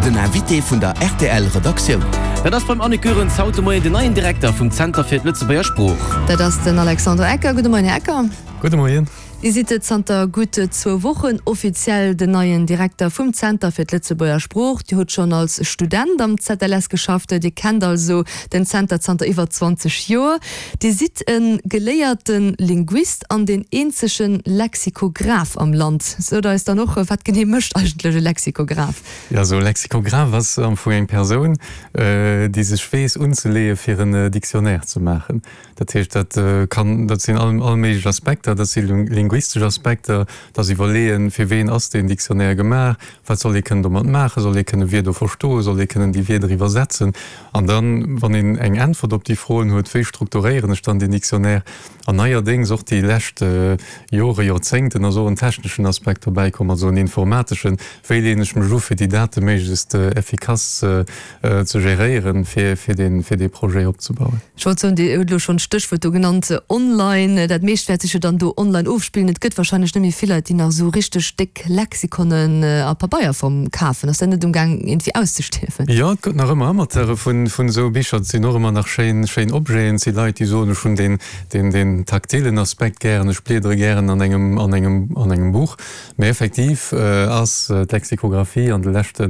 Den Invité vun der rtl Redaktioun. Dat ass beim Annick Goerens haut de Moien den neien Direkter vum Zenter fir d'Lëtzebuerger Sprooch. Dat ass den Alexandre Ecker. Gudde Moien, Här Ecker. Gudde Moien. Dir sidd zanter gutt zwou Wochen offiziell den neien Direkter vum Zenter fir d'Lëtzebuerger Sprooch. Dir hutt schonn als Student am ZLS geschafft. Dir kennt also den Zenter zanter iwwer 20 Joer. Dir sidd e geléierte Linguist an deen eenzege Lexikograph am Land. Sot eis dann och, wat genee mécht eigentlech e Lexikograph? Jo, esou e Lexikograph ass am Fong eng Persoun, déi sech weess unzeleeë fir en Dictionnaire ze maachen. Dat heescht, dat kann, dat sinn all all méiglech Aspekter, dat si linguistesch Aspekter, dat ass iwwerleeën, fir ween ass deen Dictionnaire gemaach, wat soll ee kënnen domat maachen, soll ee kënnen Wierder verstoen, soll ee kënnen déi Wierder iwwersetzen? An dann, wann een eng Äntwert op déi Froen huet, wéi strukturéieren ech dann deen Dictionnaire? An neierdéngs, och déi lescht Jore, Joerzéngten, ass och en techneschen Aspekt dobäi komm, also en informateschen, wéi leeën ech mech u fir déi Date méiglechst effikass ze geréieren, fir fir dee Projet opzebauen. Ech wollt soen, Dir hutt elo schonn d'Stéchwuert do genannt, online. Dat meescht wäert sech jo dann do online ofspillen. Et gëtt wahrscheinlech net méi vill Leit, déi nach esou richteg déck Lexikonen a Pabeierform kafen. Ass dat net umgaang iergendwéi auszestierwen? Jo, et gëtt nach ëmmer Amateure vun esou Bicher. Et sinn och ëmmer nach schéin, schéin Objeten. Et si Leit, déi soen, ech hunn deen, deen, deen taktilen Aspekt gären, ech bliedere gären an engem, an engem, an engem Buch. Mee effektiv ass d'Lexikographie an de leschte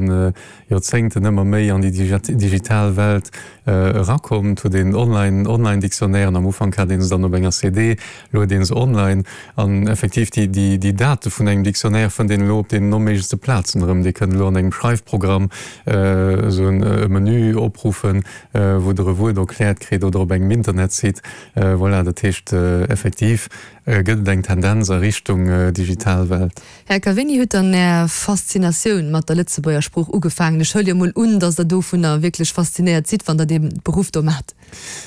Joerzéngten ëmmer méi an déi digital Welt erakomm. Et huet een online Online-Dictionnairen, am Ufank hat ee se dann op enger CD, elo huet ee se online. An effektiv déi déi Date vun engem Dictionnaire fënnt een elo op deenen onméiglechste Plazen erëm. Dir kënnt elo an engem Schreifprogramm esou e Menü opruffen, wou Der e Wuert erkläert kritt oder op engem Internetsite. Voilà, dat heescht effektiv gëtt et eng Tendenz a Richtung digital Welt. Här Cavegni, huet dann Är Faszinatioun mat der Lëtzebuerger Sprooch ugefaangen? Ech huele jo mol un, datt Der dovunner wierklech faszinéiert sidd, wann Der dee Beruff do maacht.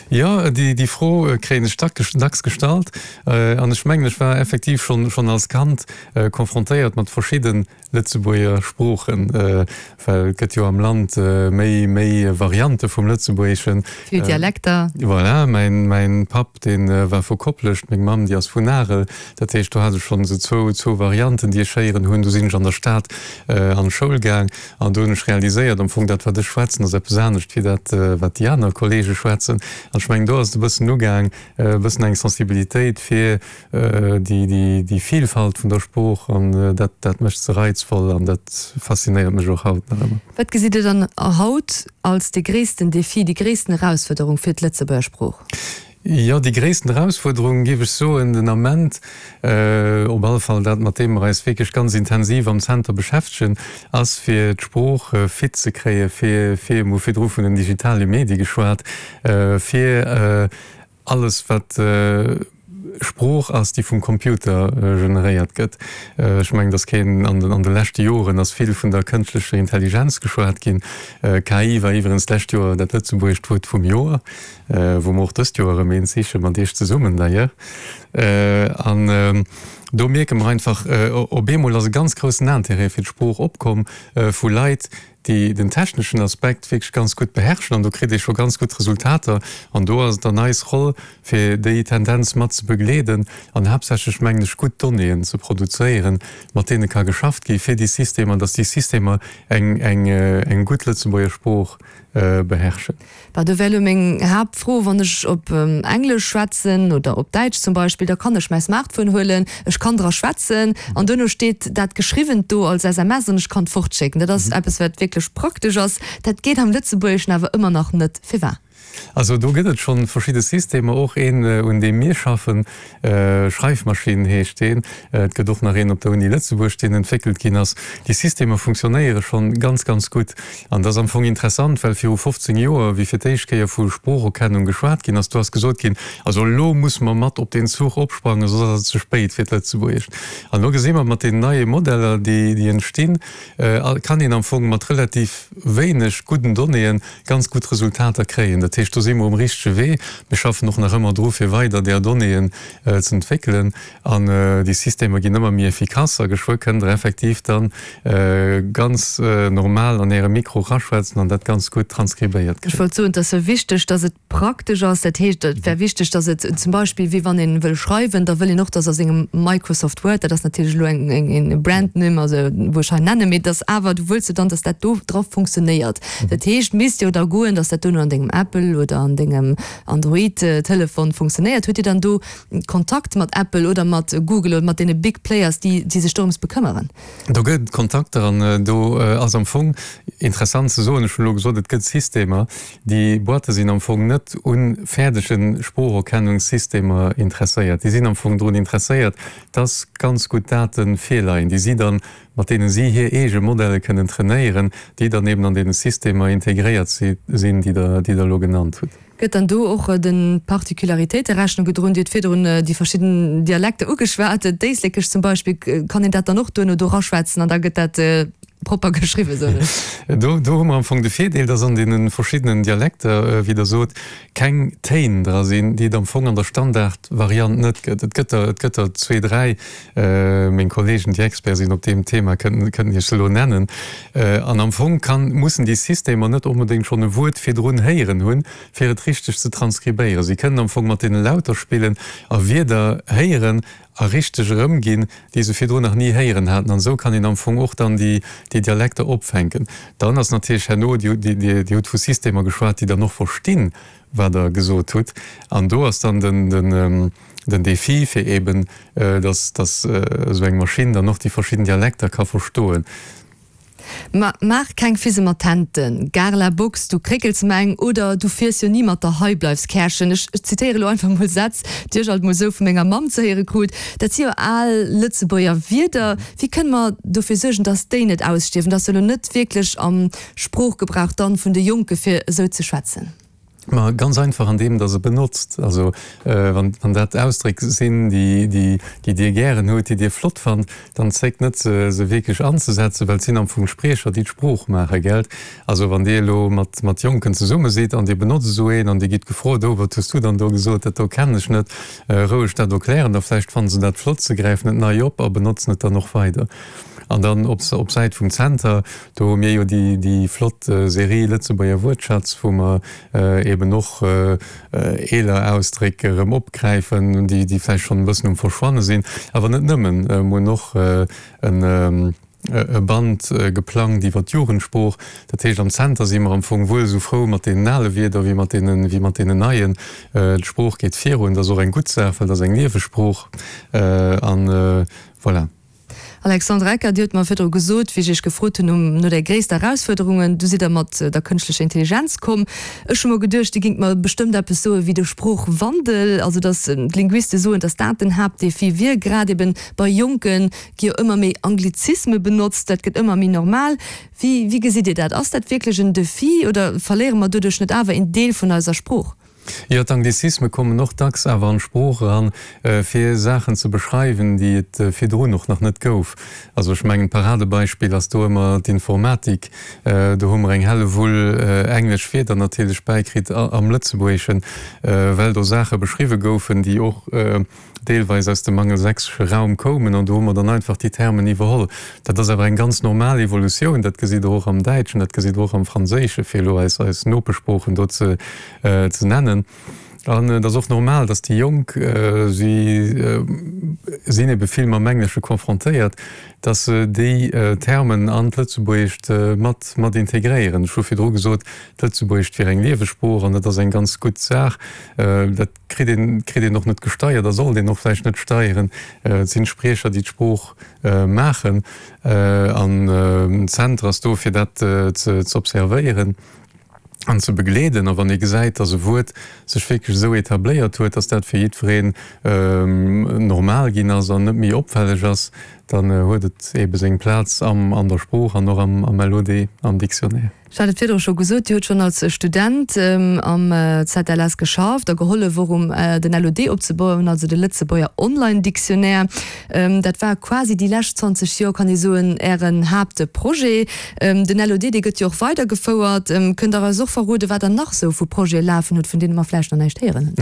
Jo, déi Fro kréien ech dacks gestallt. An ech mengen, ech war effektiv schonn als Kand confrontéiert mat verschidde Lëtzebuerger Sproochen, well et gëtt jo am Land méi Variante vum Lëtzebuergeschen. Vill Dialekter. Voilà, mäin Papp, dee war vu Koplescht, meng Mamm, déi ass vun Arel. Dat heescht, do hat ech schonn esou zwou Varianten, déi ech héieren hunn. Du sinn ech an der Stad an d'Schoul gaang an do hunn ech realiséiert, am Fong dat, wat ech schwätzen, ass eppes anescht wéi dat, wat déi aner Kollege schwätzen. An ech mengen, do ass et e bëssen ugaang, e bëssen eng Sensibilitéit fir déi Vielfalt vun der Sprooch an dat, dat mécht se reizvoll an dat faszinéiert mech och haut nach ëmmer. Wat gesitt Dir dann haut als dee gréissten Defi, déi gréissten Erausfuerderung fir d'Lëtzebuerger Sprooch? Jo, déi gréissten Erausfuerderung, géif ech soen, den Ament, op alle Fall dat, mat deem mer eis wierklech ganz intensiv am Zenter beschäftegen, ass fir d'Sprooch fit ze kréie fir, fir, mir hu virdru vun den digitale Medie geschwat, fir alles wat Sprooch ass, déi vum Computer generéiert gëtt. Ech mengen, dass keen, an den, an de leschte Joren ass vill vun der kënschtlecher Intelligenz geschwat ginn. KI war iwwerens d'lescht Joer dat lëtzebuergescht Wuert vum Joer. Wou mer och dëst Joer erëm eent sichen, mat Iech zesummen d'ailleurs. An do mierke mer einfach, op eemol ass e ganz groussen Intérêt fir d'Sprooch opkomm vu Leit, déi den techneschen Aspekt wierklech ganz gutt beherrschen. An do kritt ee scho ganz gutt Resultater. An do ass et dann eis Roll, fir déi Tendenz mat ze begleeden an haaptsächlech, mengen ech, gutt Donnéeën ze produzéieren, mat deene ka geschafft gi fir déi Systemer, dass déi Systemer eng gutt Lëtzebuerger Sprooch beherrschen. Bah, do wär elo meng Haaptfro, Wann ech op Englesch schwätzen oder op Däitsch zum Beispill, da kann ech mäi Smartphone huelen, ech kann dra schwätzen an duerno steet dat Geschriwwent do als SMS an ech kann et fortschécken. Dat ass eppes, wat wierklech praktesch ass. Dat geet am Lëtzebuergeschen awer ëmmer nach net. Firwat? Also do gëtt et scho verschidde Systemer, och een, un deem mir schaffen, Schreifmaschinn heescht deen. Et gëtt och nach een op der Uni Lëtzebuerg, deen entwéckelt ginn ass. Déi Systemer funktionéiere schonn ganz, ganz gutt. An dat ass am Fong interessant, well viru 15 Joer, wéi fir d'éischt Kéier vu Sproocherkennung geschwat ginn ass, do ass gesot ginn, also elo musse mer mat op deen Zuch opsprangen, soss ass et ze spéit fir d'Lëtzebuergescht. An elo gesi mer, mat deenen neie Modeller, déi entstinn, kann een am Fong mat relativ wéineg gudden Donnéeën ganz gutt Resultater kréien. Dat heescht. heescht, do si mer um richtege Wee. Mir schaffen och nach ëmmer dru fir weider där Donnéeën ze entwéckelen an déi Systemer ginn ëmmer méi efficace a geschwë kënnt Der effektiv dann ganz normal an Äre Mikro raschwätzen an dat ganz gutt transkribéiert Ech kréien. wollt soen, et ass jo wichteg, dass et praktesch ass. Dat heescht, et wär wichteg, dass et zum Beispill, wéi wann ee wëll schreiwen, da wëll een och, dass a sengem Microsoft Word, dat ass natierlech elo eng, eng, e Brandnumm, also wou ech hei nennen, mee dass awer, du wëlls jo dann, dass dat do dra funktionéiert. Dat heescht, misst jo da goen, dass dat duerno an dengem Apple oder an dengem Android-Telefon funktionéiert. Hutt Dir dann do Kontakt mat Apple oder mat Google oder mat deene Big Players, déi, déi sech dorëms bekëmmeren? Do gëtt et Kontakter an do ass am Fong interessant ze soen, ech hunn elo gesot, et gëtt Systemer, déi Boîte sinn am Fong net u fäerdege Sproocherkennungssystemer interesséiert. Déi sinn am Fong drun interesséiert, dass ganz gutt Date virleien, déi si dann, mat deene si hir eege Modelle kënnen trainéieren, déi dann eben an deene Systemer integréiert sinn, déi Der, déi Der elo genannt hutt. Gëtt dann do och de Particularitéite Rechnung gedroen? Dir hutt virdrun déi verschidden Dialekter ugeschwat, d'Éislekesch zum Beispill. Kann een dat dann och duerno do raschwätzen an da gëtt dat propper geschriwwen, soen ech? Do, do hu mer am Fong de Virdeel, dass an deene verschiddenen Dialekter, wéi Der sot, keng Téin dra sinn, déi et am Fong an der Standardvariant net gëtt. Et gëtt der, et gëtt der zwee, dräi, Meng Kollegen, déi Expert sinn op deem Thema, kënnten, kënnten Iech se elo nennen. An am Fong kann, mussen déi Systemer net onbedéngt schonn e Wuert virdrun héieren hunn, fir et richteg ze transkribéieren. Si kënnen am Fong mat deene Lauter spillen a Wierder héieren a richteg erëmginn, déi se virdrun nach ni héieren haten. An esou kann een am Fong och dann déi, déi Dialekter opfänken. Dann ass natierlech herno, Dir, Dir, Dir hutt vu Systemer geschwat, déi dann och verstinn, wat Der gesot hutt. An do ass dann den, den, den Défi, fir eben, dass, dass esou eng Maschinn dann och déi verschidden Dialekter ka verstoen. Ma maach keng Fise mat Tenten, Gare la Box, du kréckels mer eng, oder du fiers jo ni mat der Heibleifs-Kärchen. Ech zitéiere lo einfach mol Sätz, déi ech alt mol sou vu menger Mamm ze héiere krut. Dat si jo al Lëtzebuerger Wierder. Wéi kënne mer dofir suergen, dass déi net ausstierwen, dass se elo net wierklech am Sproochgebrauch dann vun de Jonke fir esou ze schwätzen? Ma ganz einfach an deem, dass e benotzt. Also wann dat Ausdréck sinn, déi Dir gären hutt, déi Dir flott fannt, dann zéckt net se se wierklech anzesetzen, well et sinn am Fong Spriecher, déi d'Sprooch maachen, gelt? Also wann Dir elo mat mat Jonken zesumme sidd an Dir benotzt esou een an Dir gitt gefrot, Oh, wat hues du dann do gesot, dat do kennen ech net, roueg dat erklären, da vläicht fanne se dat flott, se gräifen et nei op a benotzen et dann och weider. An dann op op Säit vum Zenter, do hu mir jo déi déi flott Serie Lëtzebuerger Wuertschatz, wou mer eben och eeler Ausdréck erëm opgräifen, déi déi vläicht schonn e bëssen um Verschwanne sinn. Awer net nëmmen, mir hunn och en e Band geplangt iwwer d'Jugendsprooch. Dat heescht, am Zenter si mer am Fong wuel esou frou mat deenen ale Wierder wéi mat deenen wéi mat deenen neien. D'Sprooch geet virun, dat ass och eng gutt Saach, well dat ass eng lieweg Sprooch. An voilà. Alexandre Ecker, Dir hutt mer virdru gesot, wéi ech Iech gefrot hunn no der gréisster Erausfuerderungen, du sidd Der mat der kënschtlecher Intelligenz komm. Ech hu mer geduecht, Dir géingt mer bestëmmt eppes soe wéi de Sproochwandel, also datt d'Linguiste soen, datt dat den Haaptdefi wier. Grad eben bei Jonke gi jo ëmmer méi Anglizisme benotzt, dat gëtt ëmmer méi normal. Wéi, wéi gesitt Dir dat? Ass dat wierklech en Defi oder verléiere mer doduerch net awer een Deel vun eiser Sprooch? Jo, d'Anglizisme kommen och dacks awer an d'Sprooch eran, fir Saachen ze beschreiwen, déi et virdrun och nach net gouf. Also ech mengen, d'Paradebeispill ass do ëmmer d'Informatik. Do hu mer eng Hellewull englesch Wierder natierlech bäikritt am Lëtzebuergeschen, well do Saache beschriwwe goufen, déi och deelweis aus dem angelsächsesche Raum koumen, an do hu mer dann einfach déi Termen iwwerholl. Dat ass awer eng ganz normal Evolutioun, dat gesitt Der och am Däitschen, dat gesitt Der och am Franséischen, fir elo eis eis Nopeschsproochen do ze ze nennen. An et ass och normal, datt déi Jonk, si sinn ebe vill mam Englesche confrontéiert, datt se déi Termen an d'Lëtzebuergescht mat mat integréieren. Ech hu virdru gesot, d'Lëtzebuergescht wier eng lieweg Sprooch, an dat ass eng ganz gutt Saach. Dat kritt een, kritt een och net gesteiert a sollt een och vläicht net steieren. Et sinn d'Spriecher, déi d'Sprooch maachen an den Zenter ass do, fir dat ze observéieren an ze begleeden. A wann ee gesäit, datt e Wuert sech wierklech esou etabléiert huet, datt dat fir jiddwereen normal ginn ass an net méi opfälleg ass, Dann huet et eebe seng Plaz am an der Sprooch an och am am LOD, am Dictionnaire. Ech hat et virdru scho gesot, Dir hutt schonn als Student am ZLS geschafft a gehollef och um den LOD opzebauen, also de Lëtzebuerger Online Dictionnaire. Dat war quasi déi lescht 20 Joer, kann ee soen, Ären Haaptprojet. Den LOD, dee gëtt jo och weidergefouert. Kënnt Der eis och verroden, wat Der nach esou vu Projete lafen hutt, vun deene mer vläicht nach näischt héieren hunn?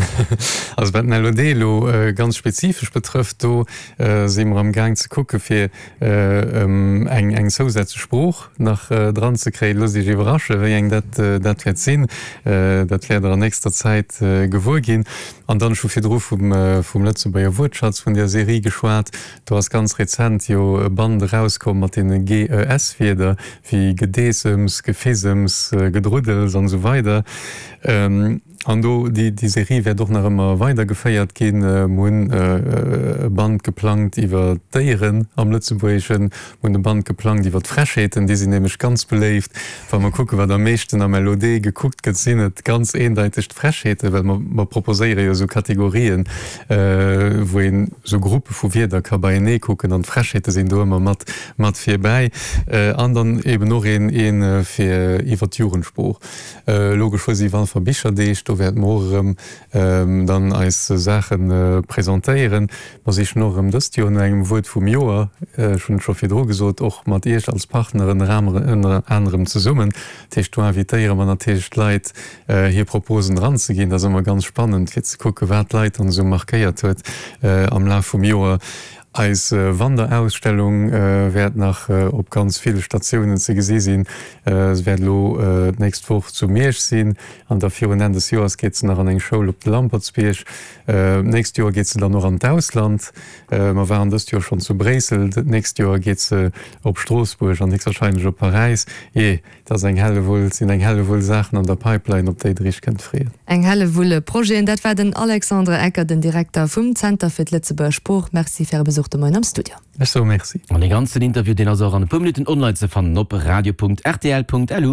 Also wat den LOD elo ganz spezifesch betrëfft, do si mer am Gaang ze kucke fir eng eng zousätzlech Sprooch nach dran ze kréien. Loosst Iech iwwerrasche wéi eng dat dat wäert sinn. Dat wäert Der an nächster Zäit gewuer ginn. An dann, ech hu virdru vum vum Lëtzebuerger Wuertschatz, vun där Serie geschwat. Do ass ganz rezent jo e Band erauskomm mat deene GES-Wierder wéi Gedeessems, Gefissems, Gedruddels an esou weider. An do, déi Serie wäert och nach ëmmer weidergeféiert ginn. Mir hunn e Band geplangt iwwer d'Déieren am Lëtzebuergeschen. Mir hunn e Band geplangt iwwer d'Frechheeten, déi sinn nämlech ganz beléift. Wa mer kucken, wat am meeschten am LOD gekuckt gëtt, sinn et ganz eendeiteg d'Frechheeten, well mer, mer proposéiere jo esou Kategorien, wou een esou Gruppe vu Wierder ka beienee kucken an d'Frechheete sinn do ëmmer mat, mat virbäi. An dann eben och een, ee fir iwwer d'Jugendsprooch. Elo geschwë si Walfer Bicherdeeg, do wäerte mer och erëm dann eis Saache presentéieren. Mer sichen och erëm dëst Joer no engem Wuert vum Joer, ech hunn et scho virdru gesot, och mat Iech als Partner ënner anerem zesummen. Dat heescht, do invitéiere mer natierlech d'Leit, hir Proposen eranzeginn. Dat ass ëmmer ganz spannend, fir ze kucken, wat d'Leit dann esou markéiert huet am Laf vum Joer. Eis Wanderausstellung wäert nach op ganz ville Statiounen ze gesi sinn. Se wäert elo d'nächst Woch zu Miersch sinn an da virun Enn des Joers geet se nach an eng Schoul op de Lampertsbierg. D'nächst Joer geet se dann och an d'Ausland. Mer waren dëst Joer schonn zu Bréissel, d'nächst Joer geet se op Stroossbuerg an héchstwahrscheinlech op Paräis. Jee. Et ass eng Hellewull, et sinn eng Hellewull Saachen an der Pipeline, op déi Der Iech kënnt freeën. Eng Hellewull Projeten. Dat war den Alexandre Ecker, den Direkter vum Zenter fir d'Lëtzebuerger Sprooch. Merci fir Äre Besuch de Moien am Studio. Ech soe Merci. An dee ganzen Interview, deen ass och an e puer Minutten online ze fannen op radio.rtl.lu.